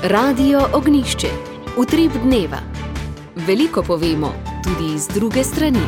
Radio Ognišče, utrip dneva. Veliko povemo, tudi iz druge strani.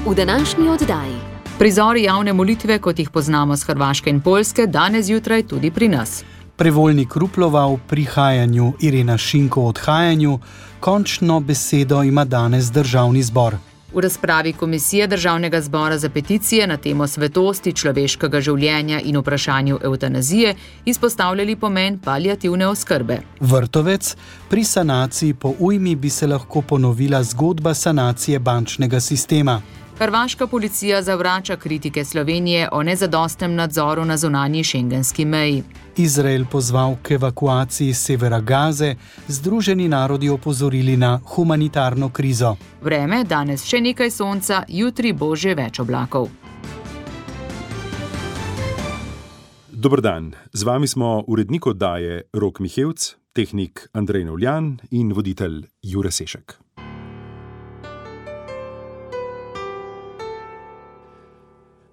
V današnji oddaji. Prizori javne molitve, kot jih poznamo z Hrvaške in Poljske, danes zjutraj tudi pri nas. Prevoljnik Ruplova v prihajanju, Irena Šinko v odhajanju, končno besedo ima danes Državni zbor. V razpravi Komisije Državnega zbora za peticije na temo svetosti človeškega življenja in vprašanju evtanazije izpostavljali pomen paliativne oskrbe. Vrtovec, pri sanaciji po ujmi bi se lahko ponovila zgodba sanacije bančnega sistema. Hrvaška policija zavrača kritike Slovenije o nezadostnem nadzoru na zunanji šengenski meji. Izrael pozval k evakuaciji severa Gaze, Združeni narodi opozorili na humanitarno krizo. Vreme, danes še nekaj sonca, jutri bo že več oblakov. Dober dan, z vami smo urednik oddaje Rok Mihevc, tehnik Andrej Novljan in voditelj Jure Sešek.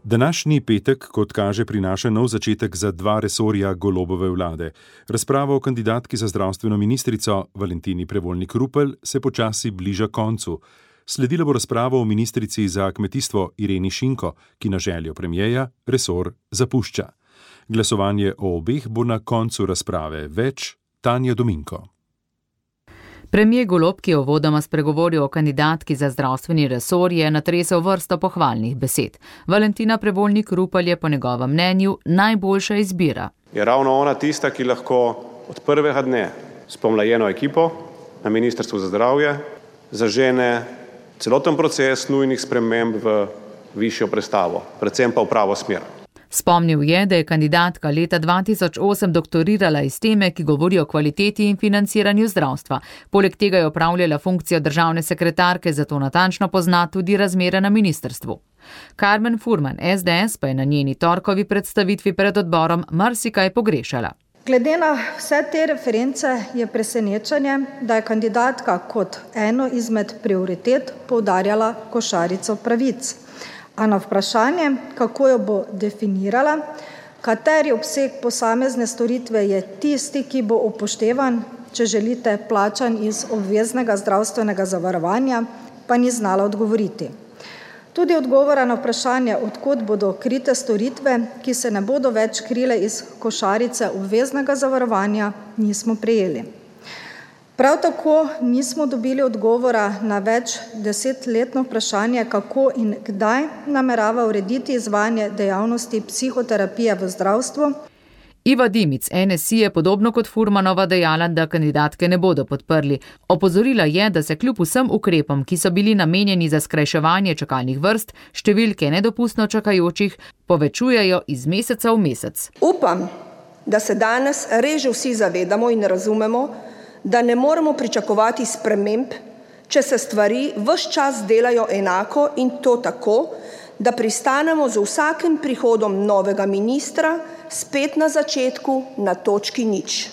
Današnji petek, kot kaže, prinaša nov začetek za dva resorja Golobove vlade. Razprava o kandidatki za zdravstveno ministrico Valentini Prevoljnik Rupel se počasi bliža koncu. Sledila bo razprava o ministrici za kmetijstvo Ireni Šinko, ki na željo premierja resor zapušča. Glasovanje o obeh bo na koncu razprave. Več Tanja Dominko. Premier Golob, ki je uvodoma spregovoril o kandidatki za zdravstveni resor, je natresel vrsto pohvalnih besed. Valentina Prevoljnik Rupel je po njegovem mnenju najboljša izbira. Je ravno ona tista, ki lahko od prvega dne s pomlajeno ekipo na Ministrstvu za zdravje zažene celoten proces nujnih sprememb v višjo prestavo, predvsem pa v pravo smer. Spomnil je, da je kandidatka leta 2008 doktorirala iz teme, ki govori o kvaliteti in financiranju zdravstva. Poleg tega je opravljala funkcijo državne sekretarke, zato natančno pozna tudi razmere na ministrstvu. Karmen Furman, SDS, pa je na njeni torkovi predstavitvi pred odborom marsikaj pogrešala. Glede na vse te reference je presenečenje, da je kandidatka kot eno izmed prioritet poudarjala košarico pravic. A na vprašanje, kako jo bo definirala, kateri obseg posamezne storitve je tisti, ki bo upoštevan, če želite, plačan iz obveznega zdravstvenega zavarovanja, pa ni znala odgovoriti. Tudi odgovora na vprašanje, od kod bodo krite storitve, ki se ne bodo več krile iz košarice obveznega zavarovanja, nismo prejeli. Prav tako nismo dobili odgovora na več desetletno vprašanje, kako in kdaj namerava urediti izvajanje dejavnosti psihoterapije v zdravstvu. Iva Dimic, NSI, je podobno kot Furmanova dejala, da kandidatke ne bodo podprli. Opozorila je, da se kljub vsem ukrepom, ki so bili namenjeni za skrajševanje čakalnih vrst, številke nedopustno čakajočih povečujejo iz meseca v mesec. Upam, da se danes res že vsi zavedamo in razumemo, da ne moremo pričakovati sprememb, če se stvari ves čas delajo enako in to tako, da pristanemo z vsakim prihodom novega ministra spet na začetku na točki nič.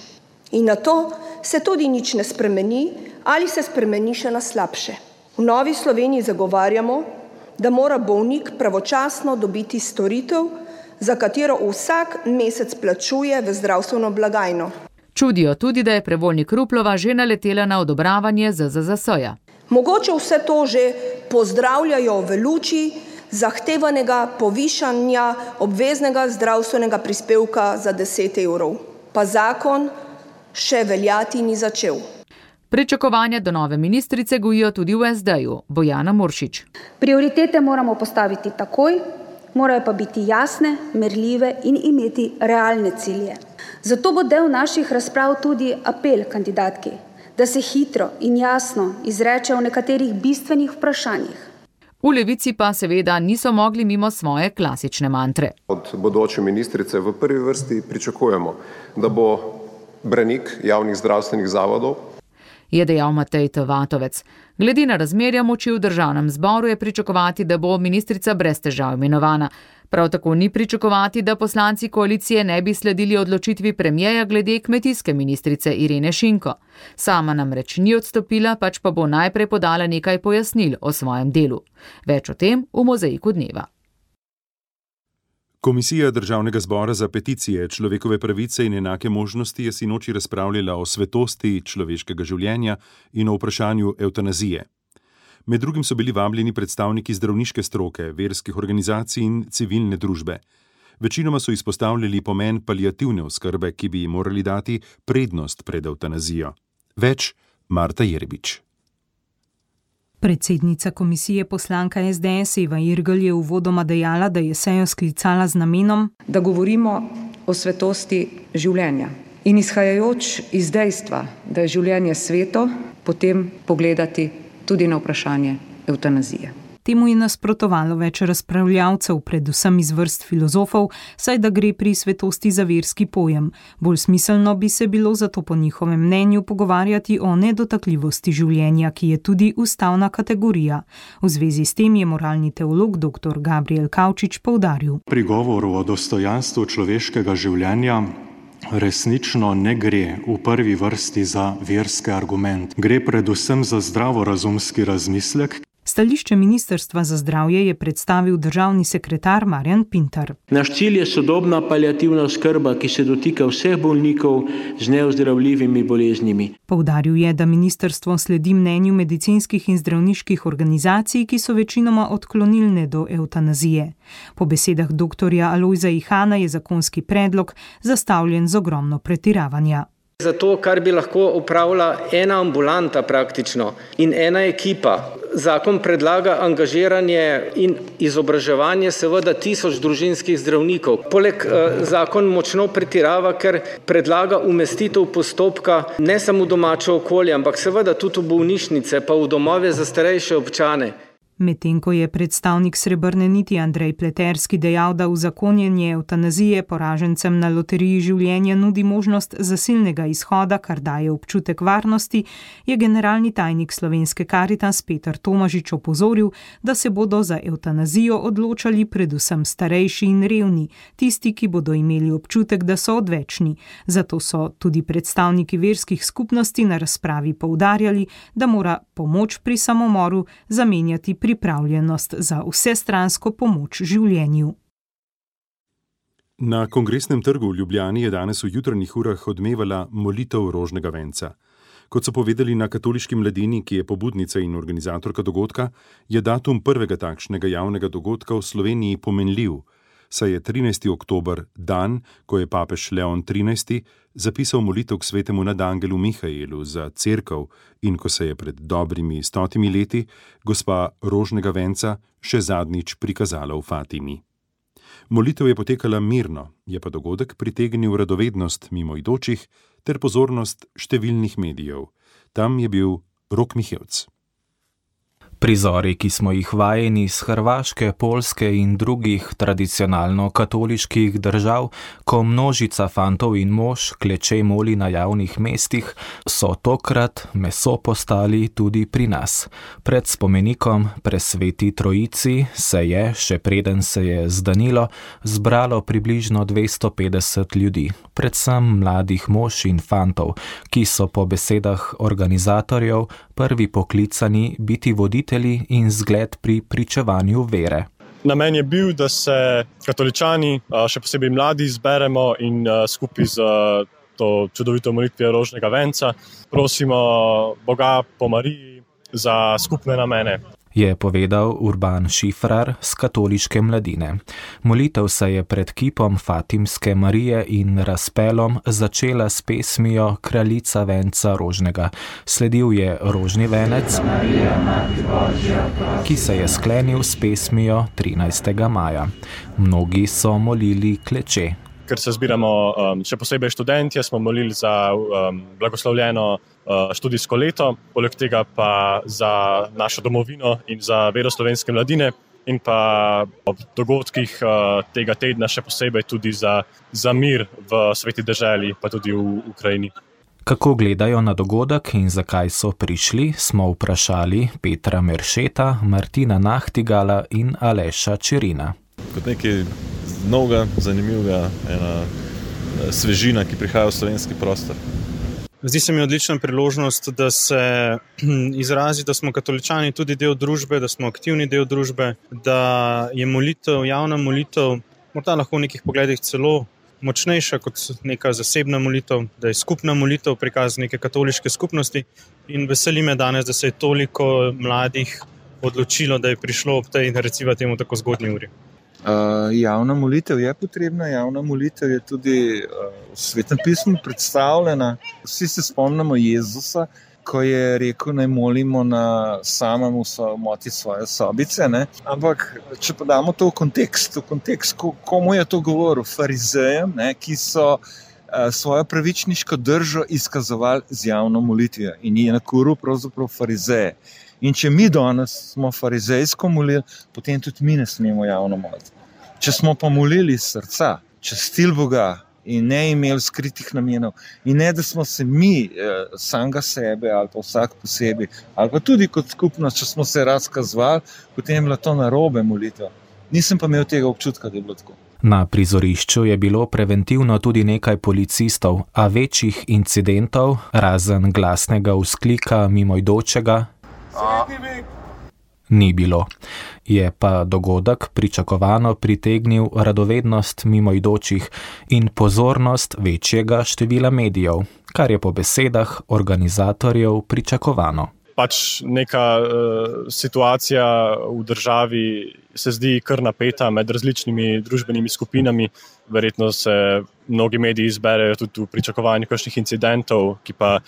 In na to se tudi nič ne spremeni ali se spremeni še na slabše. V Novi Sloveniji zagovarjamo, da mora bolnik pravočasno dobiti storitev, za katero vsak mesec plačuje v zdravstveno blagajno. Čudijo tudi, da je Prevoljnik Ruplova že naletela na odobravanje ZZZS-ja. Mogoče vse to že pozdravljajo v luči zahtevanega povišanja obveznega zdravstvenega prispevka za 10 evrov. Pa zakon še veljati ni začel. Pričakovanja do nove ministrice gojijo tudi v SD-ju. Bojana Muršič. Prioritete moramo postaviti takoj, morajo pa biti jasne, merljive in imeti realne cilje. Zato bo del naših razprav tudi apel kandidatki, da se hitro in jasno izreče o nekaterih bistvenih vprašanjih. V Levici pa seveda niso mogli mimo svoje klasične mantre. Od bodoče ministrice v prvi vrsti pričakujemo, da bo branik javnih zdravstvenih zavodov, je dejal Matej Tovatovec. Glede na razmerja moči v državnem zboru je pričakovati, da bo ministrica brez težav imenovana. Prav tako ni pričakovati, da poslanci koalicije ne bi sledili odločitvi premierja glede kmetijske ministrice Irene Šinko. Sama namreč ni odstopila, pač pa bo najprej podala nekaj pojasnil o svojem delu. Več o tem v mozaiku dneva. Komisija Državnega zbora za peticije, človekove pravice in enake možnosti je sinoči razpravljala o svetosti človeškega življenja in o vprašanju evtanazije. Med drugim so bili vabljeni predstavniki zdravniške stroke, verskih organizacij in civilne družbe. Večinoma so izpostavljali pomen paliativne oskrbe, ki bi ji morali dati prednost pred evtanazijo. Več Marta Jerbič. Predsednica komisije poslanka SDS Eva Irgl je uvodoma dejala, da je sejo sklicala z namenom, da govorimo o svetosti življenja in izhajajoč iz dejstva, da je življenje sveto, potem pogledati tudi na vprašanje evtanazije. Temu je nasprotovalo več razpravljavcev, predvsem iz vrst filozofov, saj da gre pri svetosti za verski pojem. Bolj smiselno bi se bilo zato po njihovem mnenju pogovarjati o nedotakljivosti življenja, ki je tudi ustavna kategorija. V zvezi s tem je moralni teolog dr. Gabriel Kavčič poudaril. Pri govoru o dostojanstvu človeškega življenja resnično ne gre v prvi vrsti za verski argument. Gre predvsem za zdravorazumski razmislek. Stališče Ministrstva za zdravje je predstavil državni sekretar Marjan Pintar. Naš cilj je sodobna paliativna oskrba, ki se dotika vseh bolnikov z neozdravljivimi boleznimi. Poudaril je, da ministrstvo sledi mnenju medicinskih in zdravniških organizacij, ki so večinoma odklonilne do evtanazije. Po besedah dr. Alojza Ihana je zakonski predlog zastavljen z ogromno pretiravanja. Zato, kar bi lahko upravila ena ambulanta praktično in ena ekipa. Zakon predlaga angažiranje in izobraževanje seveda 1000 družinskih zdravnikov. Poleg zakon močno pretirava, ker predlaga umestitev postopka ne samo v domače okolje, ampak seveda tudi v bolnišnice pa v domove za starejše občane. Medtem ko je predstavnik Srebrne niti Andrej Pleterski dejal, da uzakonjenje evtanazije poražencem na loteriji življenja nudi možnost zasilnega izhoda, kar daje občutek varnosti, je generalni tajnik Slovenske Karitas Peter Tomažič opozoril, da se bodo za evtanazijo odločali predvsem starejši in revni, tisti, ki bodo imeli občutek, da so odvečni. Zato so tudi predstavniki verskih skupnosti na razpravi poudarjali, da mora pomoč pri samomoru zamenjati pripravljenost za vsestransko pomoč življenju. Na Kongresnem trgu v Ljubljani je danes v jutranjih urah odmevala molitev rožnega venca. Kot so povedali na Katoliški mladini, ki je pobudnica in organizatorka dogodka, je datum prvega takšnega javnega dogodka v Sloveniji pomenljiv, saj je 13. oktober dan, ko je papež Leon XIII. Zapisal molitev k svetemu nadangelu Mihaelu za cerkev in ko se je pred dobrimi 100 leti gospa rožnega venca še zadnjič prikazala v Fatimi. Molitev je potekala mirno, je pa dogodek pritegnil radovednost mimoidočih ter pozornost številnih medijev. Tam je bil Rok Mihevc. Prizori, ki smo jih vajeni iz Hrvaške, Poljske in drugih tradicionalno katoliških držav, ko množica fantov in mož kleče moli na javnih mestih, so tokrat meso postali tudi pri nas. Pred spomenikom Presveti Trojici se je, še preden se je zdanilo, zbralo približno 250 ljudi, predvsem mladih mož in fantov, ki so po besedah organizatorjev prvi poklicani biti voditelji in zgled pri pričevanju vere. Namen je bil, da se katoličani, še posebej mladi, zberemo in skupaj z to čudovito molitvijo rožnega venca prosimo Boga po Mariji za skupne namene. Je povedal Urban Šifrar z Katoliške mladine. Molitev se je pred kipom Fatimske Marije in razpelom začela s pesmijo Kraljica venca rožnega. Sledil je rožni venec, ki se je sklenil s pesmijo 13. maja. Mnogi so molili kleče. Ker se zbiramo še posebej študentje, smo molili za blagoslovljeno študijsko leto, poleg tega pa za našo domovino in za vero slovenske mladine in pa ob dogodkih tega tedna še posebej tudi za mir v sveti deželi, pa tudi v Ukrajini. Kako gledajo na dogodek in zakaj so prišli, smo vprašali Petra Meršeta, Martina Nahtigala in Aleša Čerina. Kot nekaj novega, zanimivega, ena svežina, ki prihaja v slovenski prostor. Zdi se mi odlična priložnost, da se izrazi, da smo katoličani tudi del družbe, da smo aktivni del družbe, da je molitev, javna molitev morda lahko v nekih pogledih celo močnejša kot neka zasebna molitev, da je skupna molitev prikaz neke katoliške skupnosti in veseli me danes, da se je toliko mladih odločilo, da je prišlo ob tej, recimo temu, tako zgodnji uri. Javna molitev je potrebna, javna molitev je tudi v Svetem pismu predstavljena. Vsi se spomnimo Jezusa, ko je rekel, naj molimo na samem samoti svoje sobice, ne? Ampak če pa damo to v kontekst, komu je to govoril? Farizejem, ne? Ki so svojo pravičniško držo izkazovali z javno molitvijo in je nakuril pravzaprav farizeje. In če mi danes smo farizejsko molili, potem tudi mi ne smemo javno moliti. Če smo pa molili iz srca, častili Boga in ne imeli skritih namenov, in ne, da smo se mi samega sebe ali pa vsak posebej, ali pa tudi kot skupnost, če smo se razkazovali, potem je bila to narobe molitev. Nisem pa imel tega občutka, da je bilo tako. Na prizorišču je bilo preventivno tudi nekaj policistov, a večjih incidentov, razen glasnega vzklika mimoidočega, ni bilo. Je pa dogodek pričakovano pritegnil radovednost mimoidočih in pozornost večjega števila medijev, kar je po besedah organizatorjev pričakovano. Pač neka situacija v državi se zdi kar napeta med različnimi družbenimi skupinami. Verjetno se mnogi mediji izberejo tudi v pričakovanju kakšnih incidentov, ki pa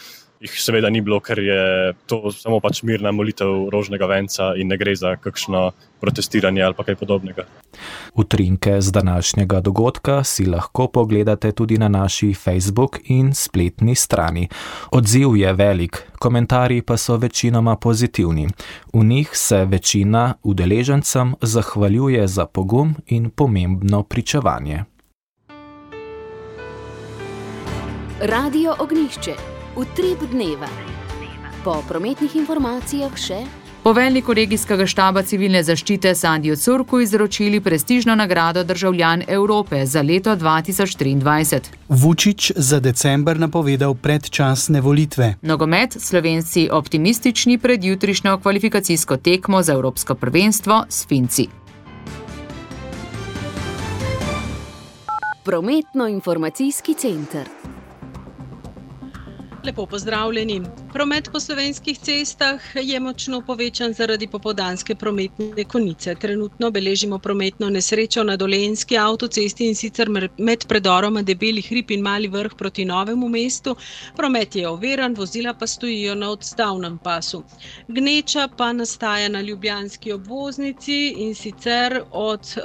jih seveda ni bilo, ker je to samo pač mirna molitev rožnega venca in ne gre za kakšno protestiranje ali pa kaj podobnega. Utrinke z današnjega dogodka si lahko pogledate tudi na naši Facebook in spletni strani. Odziv je velik, komentarji pa so večinoma pozitivni. V njih se večina udeležencem zahvaljuje za pogum in pomembno pričevanje. Radio Ognjišče. Utrip dneva. Po prometnih informacijah še. Poveljniku regijskega štaba civilne zaščite Sandiju Curku izročili prestižno nagrado Državljan Evrope za leto 2023. Vučić za december napovedal predčasne volitve. Nogomet, Slovenci optimistični pred jutrišnjo kvalifikacijsko tekmo za Evropsko prvenstvo s Finci. Prometno-informacijski center. Lepo pozdravljeni. Promet po slovenskih cestah je močno povečan zaradi popoldanske prometne konice. Trenutno beležimo prometno nesrečo na Dolenjski avtocesti in sicer med predoroma Debeli hrib in Mali Vrh proti Novemu mestu. Promet je oviran, vozila pa stojijo na odstavnem pasu. Gneča pa nastaja na ljubljanski obvoznici in sicer od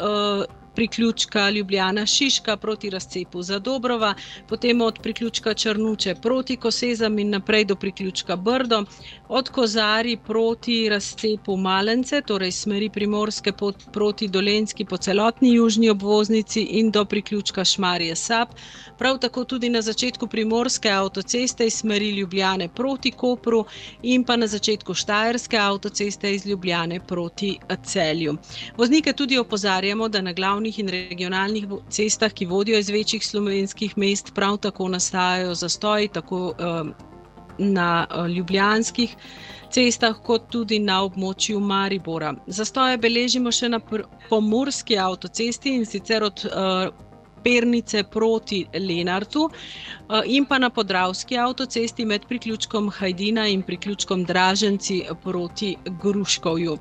priključka Ljubljana-Šiška proti razcepu Zadobrova, potem od priključka Črnuče proti Kosezam in naprej do priključka Brdo, od Kozarij proti razcepu Malence, torej smeri Primorske proti Dolenjski po celotni južni obvoznici in do priključka Šmarje-Sap, prav tako tudi na začetku Primorske avtoceste iz smeri Ljubljane proti Kopru in pa na začetku Štajerske avtoceste iz Ljubljane proti Celju. Voznike tudi opozarjamo, da na glavnih in regionalnih cestah, ki vodijo iz večjih slovenskih mest, prav tako nastajajo zastoji, tako na ljubljanskih cestah, kot tudi na območju Maribora. Zastoje beležimo še na Pomurski avtocesti in sicer od Pernice proti Lenartu in pa na Podravski avtocesti med priključkom Hajdina in priključkom Draženci proti Gruškovju.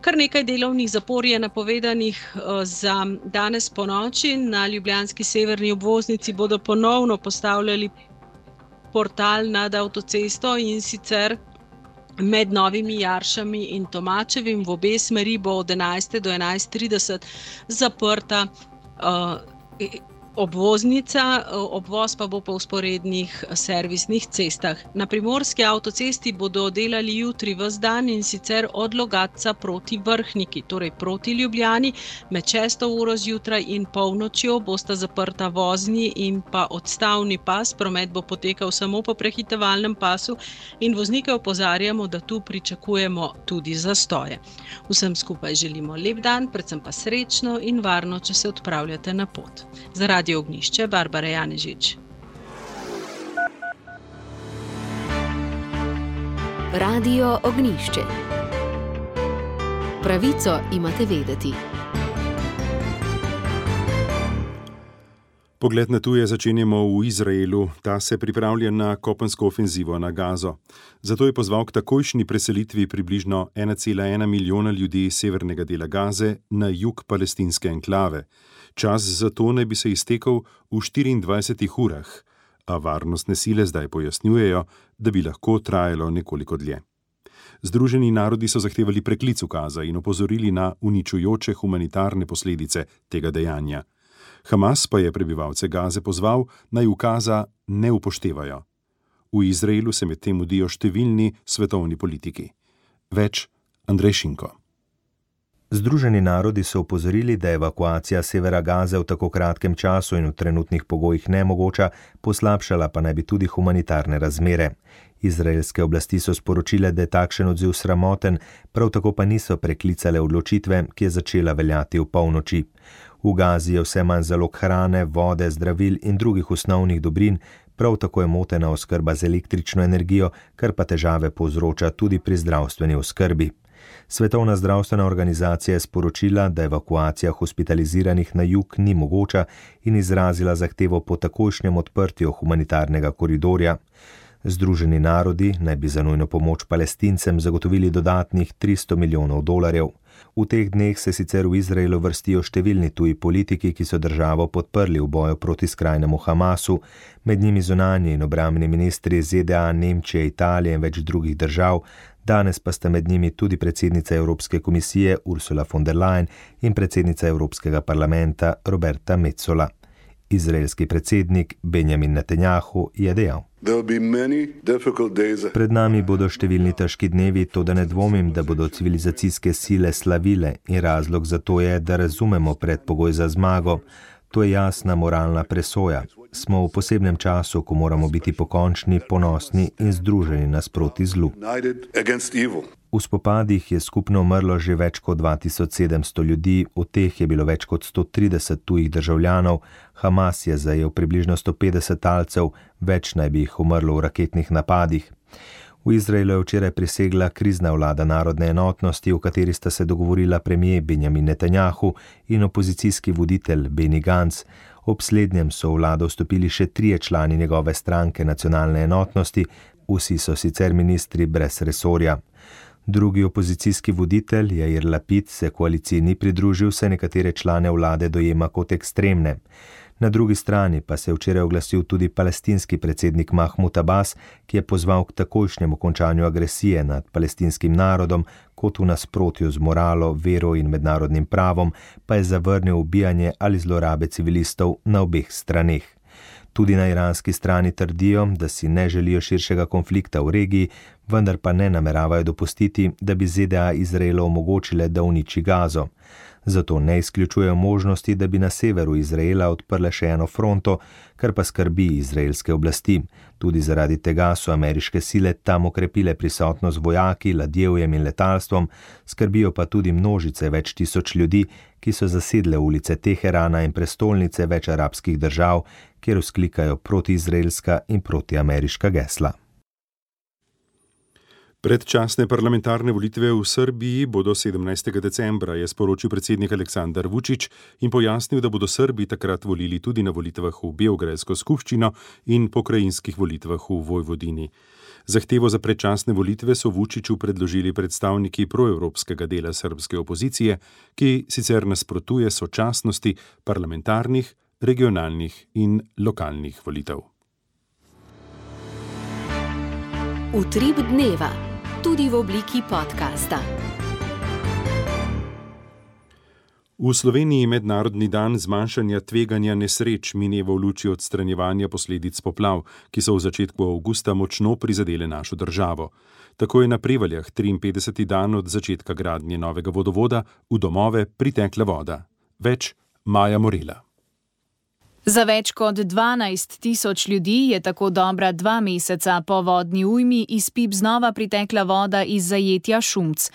Kar nekaj delovnih zapor je napovedanih za danes ponoči. Na ljubljanski severni obvoznici bodo ponovno postavljali portal nad avtocesto in sicer med Novimi Jaršami in Tomačevim. V obe smeri bo od 11. do 11.30 zaprta obvoznica, obvoz pa bo po vzporednih servisnih cestah. Na Primorski avtocesti bodo delali jutri ves dan in sicer od Logatca proti Vrhniki, torej proti Ljubljani, med 6. uro zjutraj in polnočjo bosta zaprta vozni in pa odstavni pas. Promet bo potekal samo po prehitevalnem pasu in voznike opozarjamo, da tu pričakujemo tudi zastoje. Vsem skupaj želimo lep dan, predvsem pa srečno in varno, če se odpravljate na pot. Za Radio Ognjišče, Barbara Janežič. Radio Ognjišče. Pravico imate vedeti. Pogled na tuje začenjamo v Izraelu. Ta se pripravlja na kopensko ofenzivo na Gazo. Zato je pozval k takojšnji preselitvi približno 1,1 milijona ljudi iz severnega dela Gaze na jug palestinske enklave. Čas za to naj bi se iztekel v 24 urah, a varnostne sile zdaj pojasnjujejo, da bi lahko trajalo nekoliko dlje. Združeni narodi so zahtevali preklic ukaza in opozorili na uničujoče humanitarne posledice tega dejanja. Hamas pa je prebivalce Gaze pozval, naj ukaza ne upoštevajo. V Izraelu se medtem mudijo številni svetovni politiki. Več Andrej Šinko. Združeni narodi so opozorili, da je evakuacija severa Gaze v tako kratkem času in v trenutnih pogojih nemogoča, poslabšala pa naj bi tudi humanitarne razmere. Izraelske oblasti so sporočile, da je takšen odziv sramoten, prav tako pa niso preklicale odločitve, ki je začela veljati v polnoči. V Gazi je vse manj zalog hrane, vode, zdravil in drugih osnovnih dobrin, prav tako je motena oskrba z električno energijo, kar pa težave povzroča tudi pri zdravstveni oskrbi. Svetovna zdravstvena organizacija je sporočila, da evakuacija hospitaliziranih na jug ni mogoča in izrazila zahtevo po takojšnjem odprtju humanitarnega koridorja. Združeni narodi naj bi za nujno pomoč Palestincem zagotovili dodatnih $300 milijonov. V teh dneh se sicer v Izraelu vrstijo številni tuji politiki, ki so državo podprli v boju proti skrajnemu Hamasu, med njimi zunanji in obrambni ministri ZDA, Nemčije, Italije in več drugih držav. Danes pa sta med njimi tudi predsednica Evropske komisije Ursula von der Leyen in predsednica Evropskega parlamenta Roberta Metsola. Izraelski predsednik Benjamin Netanjahu je dejal: Pred nami bodo številni težki dnevi, toda ne dvomim, da bodo civilizacijske sile slavile in razlog za to je, da razumemo predpogoj za zmago. To je jasna moralna presoja. Smo v posebnem času, ko moramo biti pokončni, ponosni in združeni nasproti zlu. V spopadih je skupno umrlo že več kot 2700 ljudi, od teh je bilo več kot 130 tujih državljanov, Hamas je zajel približno 150 talcev, več naj bi jih umrlo v raketnih napadih. V Izraelu je včeraj prisegla krizna vlada narodne enotnosti, v kateri sta se dogovorila premier Benjamin Netanjahu in opozicijski voditelj Benny Gantz. Ob slednjem so v vlado vstopili še 3 člani njegove stranke nacionalne enotnosti, vsi so sicer ministri brez resorja. Drugi opozicijski voditelj, Jair Lapid, se koaliciji ni pridružil, saj nekatere člane vlade dojema kot ekstremne. Na drugi strani pa se je včeraj oglasil tudi palestinski predsednik Mahmud Abbas, ki je pozval k takojšnjemu končanju agresije nad palestinskim narodom, kot v nasprotju z moralo, vero in mednarodnim pravom, pa je zavrnil ubijanje ali zlorabe civilistov na obeh straneh. Tudi na iranski strani trdijo, da si ne želijo širšega konflikta v regiji, vendar pa ne nameravajo dopustiti, da bi ZDA Izraelu omogočile, da uniči Gazo. Zato ne izključujejo možnosti, da bi na severu Izraela odprle še eno fronto, kar pa skrbi izraelske oblasti. Tudi zaradi tega so ameriške sile tam okrepile prisotnost vojaki, ladjevjem in letalstvom, skrbijo pa tudi množice več tisoč ljudi, ki so zasedle ulice Teherana in prestolnice več arabskih držav, kjer vzklikajo protiizraelska in protiameriška gesla. Predčasne parlamentarne volitve v Srbiji bodo 17. decembra, je sporočil predsednik Aleksandar Vučić in pojasnil, da bodo Srbi takrat volili tudi na volitvah v Beograjsko skupščino in pokrajinskih volitvah v Vojvodini. Zahtevo za predčasne volitve so Vučiću predložili predstavniki proevropskega dela srbske opozicije, ki sicer nasprotuje sočasnosti parlamentarnih, regionalnih in lokalnih volitev. Utrip dneva, tudi v obliki podcasta. V Sloveniji mednarodni dan zmanjšanja tveganja nesreč mineva v luči odstranjevanja posledic poplav, ki so v začetku avgusta močno prizadele našo državo. Tako je na Prevaljah 53. dan od začetka gradnje novega vodovoda v domove pritekla voda. Več Maja Morela. Za več kot 12.000 ljudi je tako dobra 2 meseca po vodni ujmi iz pip znova pritekla voda iz zajetja Šumc.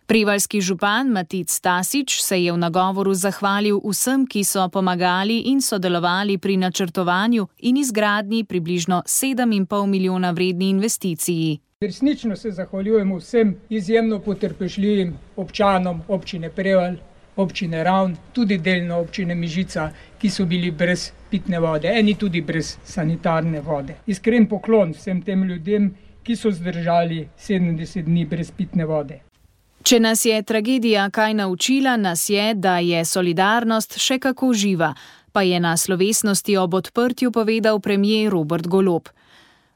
Prevaljski župan Matic Stasič se je v nagovoru zahvalil vsem, ki so pomagali in sodelovali pri načrtovanju in izgradnji približno 7,5 milijona vredni investiciji. Resnično se zahvaljujemo vsem izjemno potrpežljivim občanom občine Prevalj, občine Ravn, tudi delno občine Mežica, ki so bili brez pitne vode, eni tudi brez sanitarne vode. Iskren poklon vsem tem ljudem, ki so zdržali 70 dni brez pitne vode. Če nas je tragedija kaj naučila, nas je, da je solidarnost še kako živa, pa je na slovesnosti ob odprtju povedal premier Robert Golob.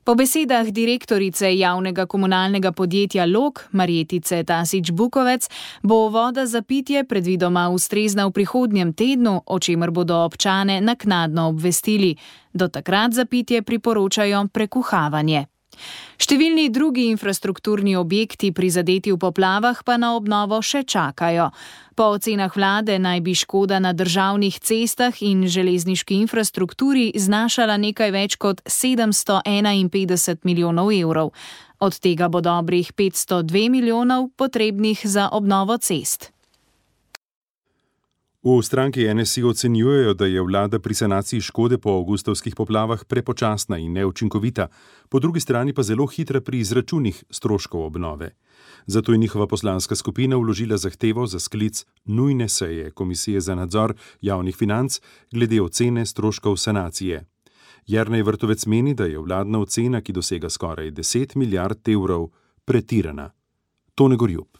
Po besedah direktorice javnega komunalnega podjetja Log, Marjetice Tasič Bukovec, bo voda za pitje predvidoma ustrezna v prihodnjem tednu, o čemer bodo občane naknadno obvestili. Do takrat za pitje priporočajo prekuhavanje. Številni drugi infrastrukturni objekti prizadeti v poplavah pa na obnovo še čakajo. Po ocenah vlade naj bi škoda na državnih cestah in železniški infrastrukturi znašala nekaj več kot 751 milijonov evrov. Od tega bo dobrih 502 milijonov potrebnih za obnovo cest. V stranki NSI ocenjujejo, da je vlada pri sanaciji škode po avgustovskih poplavah prepočasna in neučinkovita, po drugi strani pa zelo hitra pri izračunih stroškov obnove. Zato je njihova poslanska skupina vložila zahtevo za sklic nujne seje Komisije za nadzor javnih financ glede ocene stroškov sanacije. Jernej Vrtovec meni, da je vladna ocena, ki dosega skoraj 10 milijard evrov, pretirana. Tone Gorjup.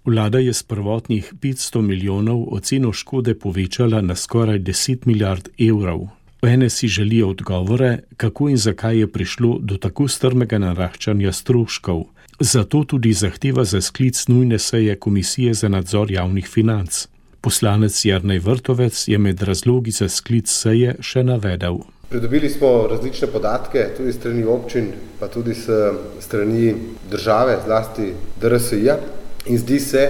Vlada je s prvotnih 500 milijonov oceno škode povečala na skoraj 10 milijard evrov. V NSI želijo odgovore, kako in zakaj je prišlo do tako strmega naraščanja stroškov. Zato tudi zahteva za sklic nujne seje Komisije za nadzor javnih financ. Poslanec Jernej Vrtovec je med razlogi za sklic seje še navedel. Pridobili smo različne podatke, tudi strani občin, pa tudi strani države, zlasti DRSI-ja. In zdi se,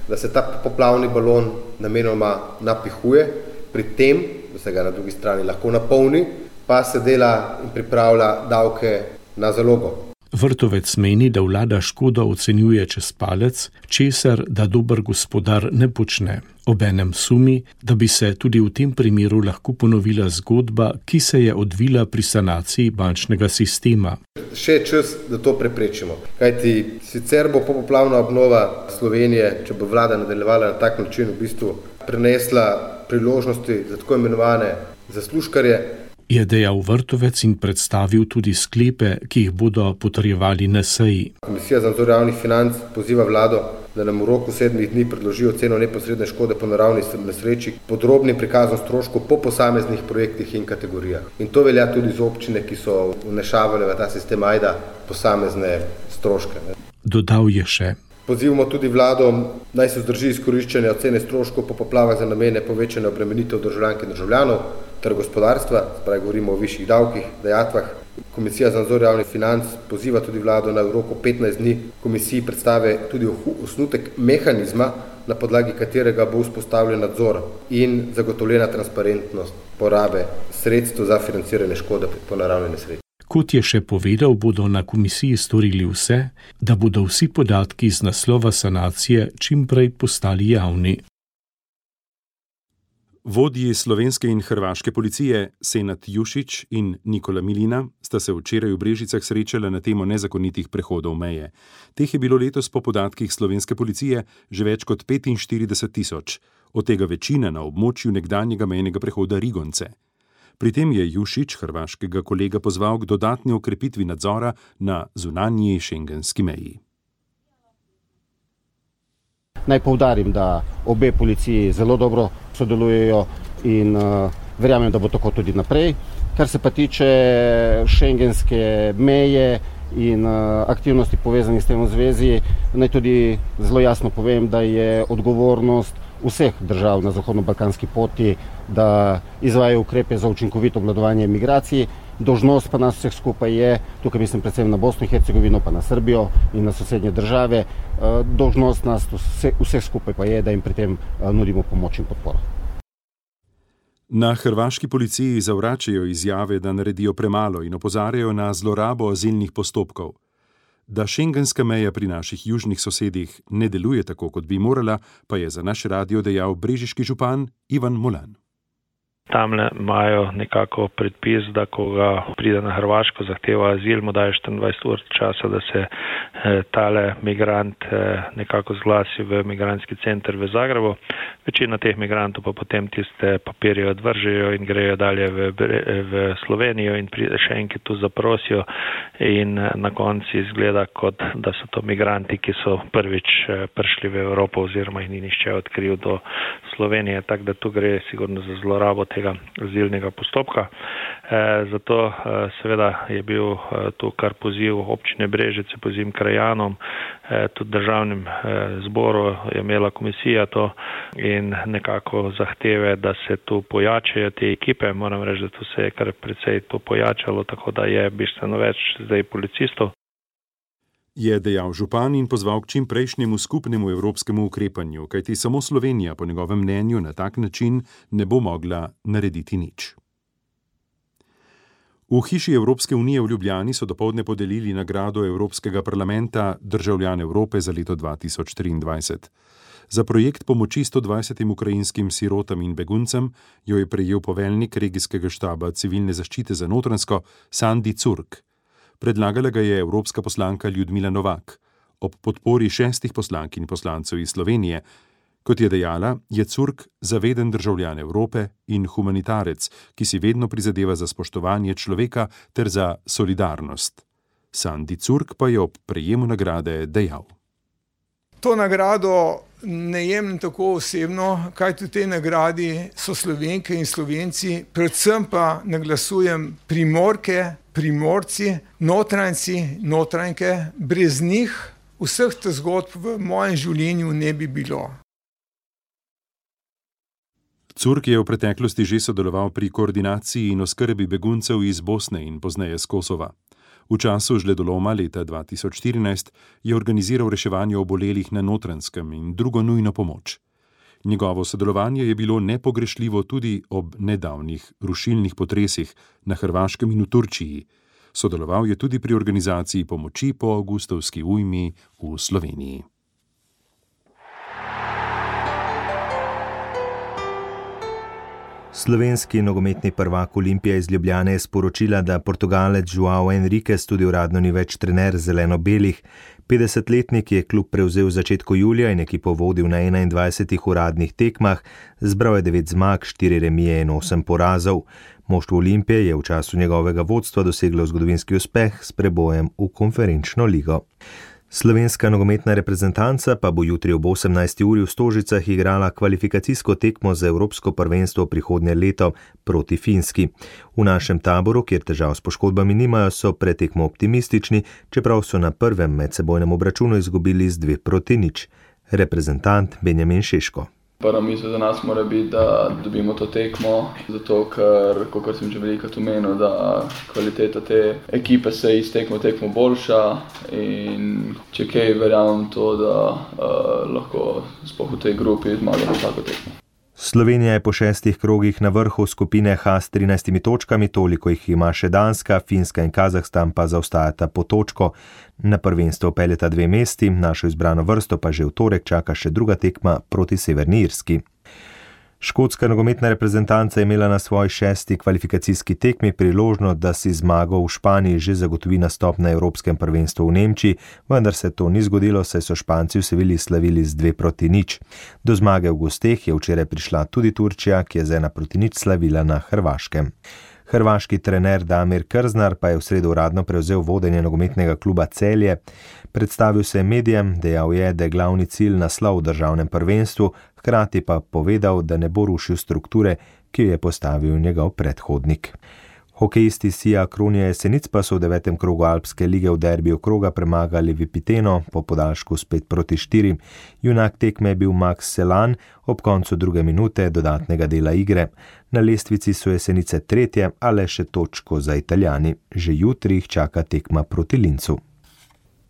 da se ta poplavni balon namenoma napihuje, pri tem, da se ga na drugi strani lahko napolni, pa se dela in pripravlja davke na zalogo. Vrtovec meni, da vlada škodo ocenjuje čez palec, česar da dober gospodar ne počne. Obenem sumi, da bi se tudi v tem primeru lahko ponovila zgodba, ki se je odvila pri sanaciji bančnega sistema. Še je čas, da to preprečimo. Kajti sicer bo popoplavna obnova Slovenije, če bo vlada nadaljevala na tak način, v bistvu prenesla priložnosti za tako imenovane zaslužkarje. Je dejal Vrtovec in predstavil tudi sklepe, ki jih bodo potrjevali na seji. Komisija za nadzor javnih financ poziva vlado, da nam v roku 7 dni predloži oceno neposredne škode po naravni nesreči, podrobnim prikazom stroškov po posameznih projektih in kategorijah. In to velja tudi za občine, ki so vnešavale v ta sistem AJDA posamezne stroške. Dodal je še. Pozivamo tudi vlado, naj se vzdrži izkoriščanja ocene stroškov po poplavah za namene povečanja obremenitev državljank in državljanov ter gospodarstva, spravi govorimo o višjih davkih, dajatvah. Komisija za nadzor javnih financ poziva tudi vlado, naj v roku 15 dni komisiji predstave tudi osnutek mehanizma, na podlagi katerega bo vzpostavljen nadzor in zagotovljena transparentnost porabe sredstev za financiranje škode po naravni nesreči. Kot je še povedal, bodo na komisiji storili vse, da bodo vsi podatki iz naslova sanacije čim prej postali javni. Vodji slovenske in hrvaške policije Senad Jušić in Nikola Milina sta se včeraj v Brežicah srečala na temo nezakonitih prehodov meje. Teh je bilo letos po podatkih slovenske policije že več kot 45.000, od tega večina na območju nekdanjega mejnega prehoda Rigonce. Pri tem je Jušić hrvaškega kolega pozval k dodatni okrepitvi nadzora na zunanji šengenski meji. Naj poudarim, da obe policiji zelo dobro sodelujejo in verjamem, da bo tako tudi naprej. Kar se pa tiče šengenske meje in aktivnosti povezanih s tem v zvezi, naj tudi zelo jasno povem, da je odgovornost vseh držav na zahodno-balkanski poti, da izvajajo ukrepe za učinkovito obvladovanje migracij. Dolžnost pa nas vseh skupaj je, tukaj mislim predvsem na Bosno in Hercegovino, pa na Srbijo in na sosednje države, dolžnost nas vseh skupaj pa je, da jim pri tem nudimo pomoč in podporo. Na hrvaški policiji zavračajo izjave, da naredijo premalo in opozarjajo na zlorabo azilnih postopkov. Da šengenska meja pri naših južnih sosedih ne deluje tako, kot bi morala, pa je za naš radio dejal brežiški župan Ivan Molan. Tamle imajo nekako predpis, da ko ga pride na Hrvaško, zahteva azil, mu daje 24 ur časa, da se tale migrant nekako zglasi v migrantski center v Zagrebu. Večina teh migrantov pa potem tiste papirje odvržejo in grejo dalje v Slovenijo in pride še enkrat tu zaprosijo in na koncu izgleda, kot da so to migranti, ki so prvič prišli v Evropo oziroma jih ni nihče odkril do Slovenije, tako da tu gre sigurno za zlorabo tega azilnega postopka. Zato seveda je bil tu kar poziv občine Brežice, poziv krajanom, tudi državnim zboru je imela komisija to in nekako zahteve, da se tu pojačajo te ekipe. Moram reči, da tu se je kar precej to pojačalo, tako da je bistveno več zdaj policistov. Je dejal župan in pozval k čim prejšnjemu skupnemu evropskemu ukrepanju, kajti samo Slovenija po njegovem mnenju na tak način ne bo mogla narediti nič. V hiši Evropske unije v Ljubljani so dopoldne podelili nagrado Evropskega parlamenta Državljan Evrope za leto 2023. Za projekt pomoči 120 ukrajinskim sirotam in beguncem jo je prejel poveljnik regijskega štaba civilne zaščite za Notranjsko Sandi Curk. Predlagala ga je evropska poslanka Ljudmila Novak. Ob podpori 6 poslank in poslancev iz Slovenije, kot je dejala, je Curk zaveden državljan Evrope in humanitarec, ki si vedno prizadeva za spoštovanje človeka ter za solidarnost. Sandi Curk pa je ob prejemu nagrade dejal. To nagrado ne jemljem tako osebno, kajti v tej nagradi so Slovenke in Slovenci, predvsem pa naglasujem Primorke, Primorci, Notranjci, Notranjke. Brez njih vseh teh zgodb v mojem življenju ne bi bilo. Curk je v preteklosti že sodeloval pri koordinaciji in oskrbi beguncev iz Bosne in pozneje z Kosova. V času žledoloma leta 2014 je organiziral reševanje obolelih na Notranjskem in drugo nujno pomoč. Njegovo sodelovanje je bilo nepogrešljivo tudi ob nedavnih rušilnih potresih na Hrvaškem in v Turčiji. Sodeloval je tudi pri organizaciji pomoči po avgustovski ujmi v Sloveniji. Slovenski nogometni prvak Olimpija iz Ljubljane je sporočila, da Portugalec João Henriques tudi uradno ni več trener zeleno-belih. 50-letnik je klub prevzel v začetku julija in ekipo vodil na 21 uradnih tekmah, zbral je 9 zmag, 4 remije in 8 porazov. Moštvo Olimpije je v času njegovega vodstva doseglo zgodovinski uspeh s prebojem v konferenčno ligo. Slovenska nogometna reprezentanca pa bo jutri ob 18. uri v Stožicah igrala kvalifikacijsko tekmo za Evropsko prvenstvo prihodnje leto proti Finski. V našem taboru, kjer težav s poškodbami nimajo, so pred tekmo optimistični, čeprav so na prvem medsebojnem obračunu izgubili z 2-0. Reprezentant Benjamin Šeško. Prva misel za nas mora biti, da dobimo to tekmo, zato ker, kot sem že velikokrat omenil, da kvaliteta te ekipe se iz tekmo boljša in če kaj verjamem to, da lahko sploh v tej grupi zmagamo tako tekmo. Slovenija je po 6 krogih na vrhu skupine H s 13 točkami, toliko jih ima še Danska, Finska in Kazahstan pa zaostajata po točko. Na prvenstvo peljeta 2 mesti, našo izbrano vrsto pa že v torek čaka še druga tekma proti Severni Irski. Škotska nogometna reprezentanca je imela na svoji 6. kvalifikacijski tekmi priložnost, da si zmago v Španiji že zagotovi nastop na Evropskem prvenstvu v Nemčiji, vendar se to ni zgodilo, saj so Španci v Sevilji slavili z 2-0. Do zmage v gosteh je včeraj prišla tudi Turčija, ki je z 1-0 slavila na Hrvaškem. Hrvaški trener Damir Krznar pa je v sredo uradno prevzel vodenje nogometnega kluba Celje. Predstavil se je medijem, dejal je, da je glavni cilj naslov v državnem prvenstvu, hkrati pa povedal, da ne bo rušil strukture, ki jo je postavil njegov predhodnik. Hokejisti Sija Kronija Jesenic pa so v 9. krogu Alpske lige v derbiju kroga premagali Vipiteno po podaljšku s 5-4. Junak tekme je bil Max Selan ob koncu 2. minute dodatnega dela igre. Na lestvici so Jesenice 3., a le še točko za Italijani. Že jutri jih čaka tekma proti Lincu.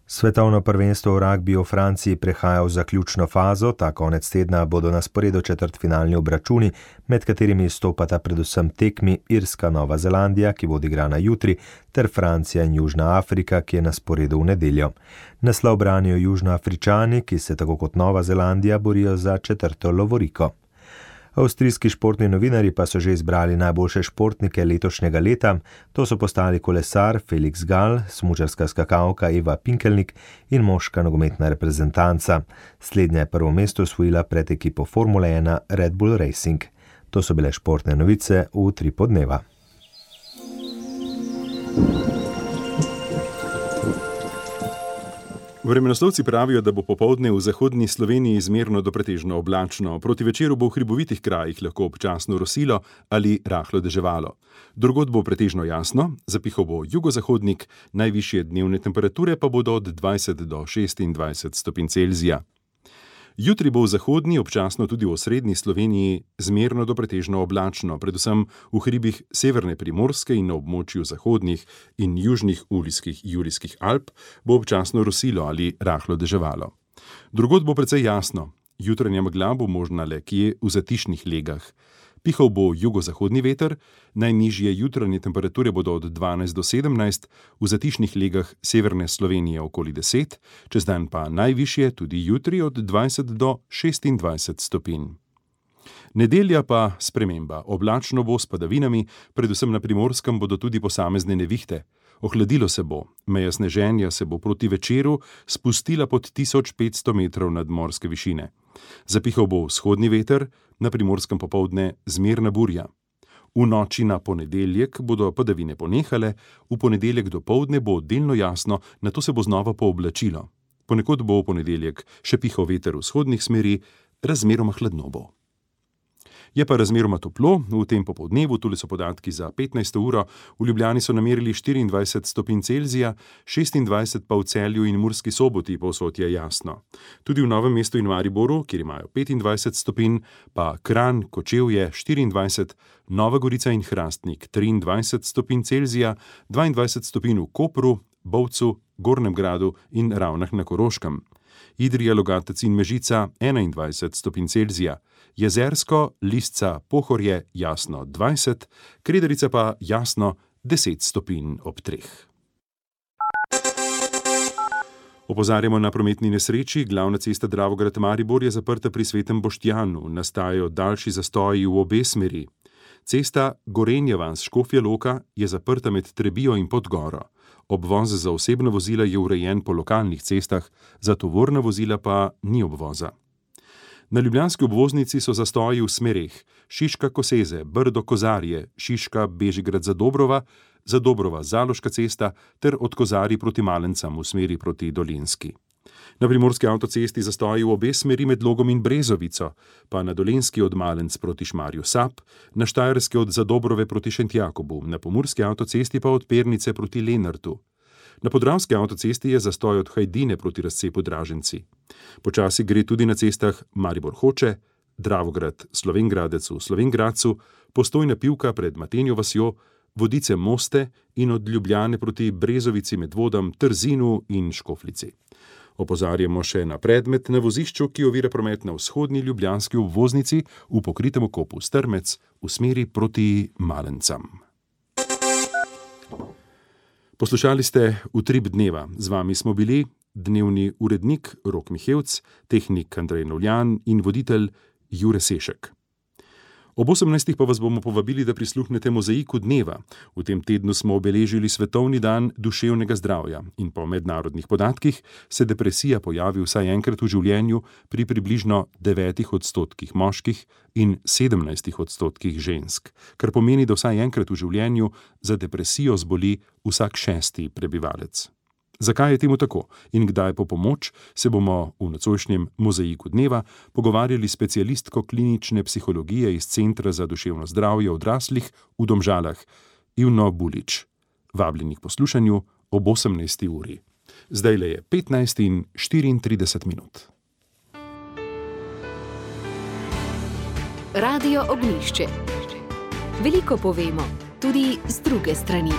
Svetovno prvenstvo v ragbiju v Franciji prehaja v zaključno fazo, ta konec tedna bodo na sporedu četrtfinalni obračuni, med katerimi izstopata predvsem tekmi Irska-Nova Zelandija, ki bo odigrana jutri, ter Francija in Južna Afrika, ki je na sporedu v nedeljo. Naslov branijo Južnoafričani, ki se tako kot Nova Zelandija borijo za 4. lovoriko. Avstrijski športni novinarji pa so že izbrali najboljše športnike letošnjega leta. To so postali kolesar Felix Gall, smučarska skakalka Eva Pinkelnik in moška nogometna reprezentanca. Slednja je prvo mesto osvojila pred ekipo Formule 1 Red Bull Racing. To so bile športne novice v Utrip dneva. Vremenoslovci pravijo, da bo popoldne v zahodni Sloveniji zmerno do pretežno oblačno. Proti večeru bo v hribovitih krajih lahko občasno rosilo ali rahlo deževalo. Drugod bo pretežno jasno, zapihal bo jugozahodnik, najvišje dnevne temperature pa bodo od 20 do 26 stopinj Celzija. Jutri bo v zahodni, občasno tudi v osrednji Sloveniji zmerno do pretežno oblačno, predvsem v hribih severne Primorske in na območju zahodnih in južnih Julijskih Alp bo občasno rosilo ali rahlo deževalo. Drugod bo precej jasno, jutranja megla bo možna le kje v zatišnih legah. Pihal bo jugozahodni veter, najnižje jutranje temperature bodo od 12 do 17, v zatišnih legah severne Slovenije okoli 10, čez dan pa najvišje tudi jutri od 20 do 26 stopinj. Nedelja pa sprememba, oblačno bo s padavinami, predvsem na Primorskem bodo tudi posamezne nevihte. Ohladilo se bo, meja sneženja se bo proti večeru spustila pod 1500 metrov nadmorske višine. Zapihal bo vzhodni veter, na Primorskem popoldne zmerna burja. V noči na ponedeljek bodo padavine ponehale, v ponedeljek dopoldne bo delno jasno, nato se bo znova pooblačilo. Ponekod bo v ponedeljek še pihal veter vzhodnih smeri, razmeroma hladno bo. Je pa razmeroma toplo, v tem popoldnevu, tule so podatki za 15. uro, v Ljubljani so namerili 24 stopinj Celzija, 26 pa v Celju in Murski Soboti, povsod je jasno. Tudi v Novem mestu in Mariboru, kjer imajo 25 stopinj, pa Kranj, Kočevje 24, Nova Gorica in Hrastnik 23 stopinj Celzija, 22 stopinj v Kopru, Bovcu, Gornjem Gradu in Ravnah na Koroškem. Idrija, Logatec in Mežica 21 stopinj Celzija, Jezersko, Lisca, Pohorje jasno 20, Krederica pa jasno 10 stopinj ob 3. Opozarjamo na prometni nesreči, glavna cesta Dravograd-Maribor je zaprta pri Svetem Boštjanu, nastajajo daljši zastoji v obe smeri. Cesta Gorenja vas-Škofja Loka je zaprta med Trebijo in Podgoro. Obvoz za osebna vozila je urejen po lokalnih cestah, za tovorna vozila pa ni obvoza. Na ljubljanski obvoznici so zastoji v smereh Šiška-Koseze, Brdo-Kozarje, Šiška-Bežigrad-Zadobrova, Zadobrova-Zaloška cesta ter od Kozarij proti Malencam v smeri proti Dolenjski. Na primorski avtocesti zastoji v obe smeri med Logom in Brezovico, pa na Dolenjski od Malenc proti Šmarju Sap, na Štajerski od Zadobrove proti Šentjakobu, na pomurski avtocesti pa od Pernice proti Lenartu. Na podravski avtocesti je zastoj od Hajdine proti razcepu Draženci. Počasi gre tudi na cestah Maribor-Hoče, Dravograd-Slovenj Gradec v Slovenj Gradcu, Postojna Pivka pred Matenjo vasjo, Vodice-Moste in od Ljubljane proti Brezovici, Medvodam, Trzinu in Škoflici. Opozarjamo še na predmet na vozišču, ki ovira promet na vzhodni ljubljanski obvoznici v pokritem okopu Strmec v smeri proti Malencam. Poslušali ste Utrip dneva. Z vami smo bili dnevni urednik Rok Mihevc, tehnik Andrej Novljan in voditelj Jure Sešek. Ob 18. pa vas bomo povabili, da prisluhnete Mozaiku dneva. V tem tednu smo obeležili Svetovni dan duševnega zdravja in po mednarodnih podatkih se depresija pojavi vsaj enkrat v življenju pri približno 9% moških in 17% žensk, kar pomeni, da vsaj enkrat v življenju za depresijo zboli vsak 6. prebivalec. Zakaj je temu tako in kdaj po pomoč, se bomo v nocojšnjem Mozaiku dneva pogovarjali s specialistko klinične psihologije iz Centra za duševno zdravje odraslih v Domžalah, Ivno Bulič. Vabljeni k poslušanju ob 18. uri. Zdajle je 15:34 minut. Radio Ognjišče. Veliko povemo, tudi z druge strani.